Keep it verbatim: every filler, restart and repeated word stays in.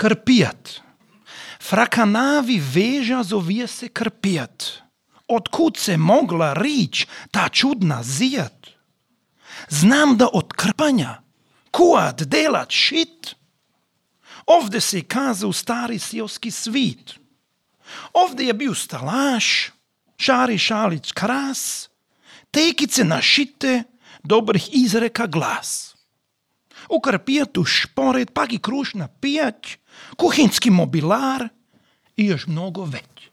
Krpijat. Frakanavi veža zovije se krpijat. Otkud se mogla rič ta čudna zijat? Znam da od krpanja kuat delat šit. Ovde se kazao stari seoski svit. Ovde je bio stalaš, Šari Šalić kras, tekice našite, dobrih izreka glas. U krpijatu šporet, pak i krušna pijać, kuhinski mobilar i još mnogo već.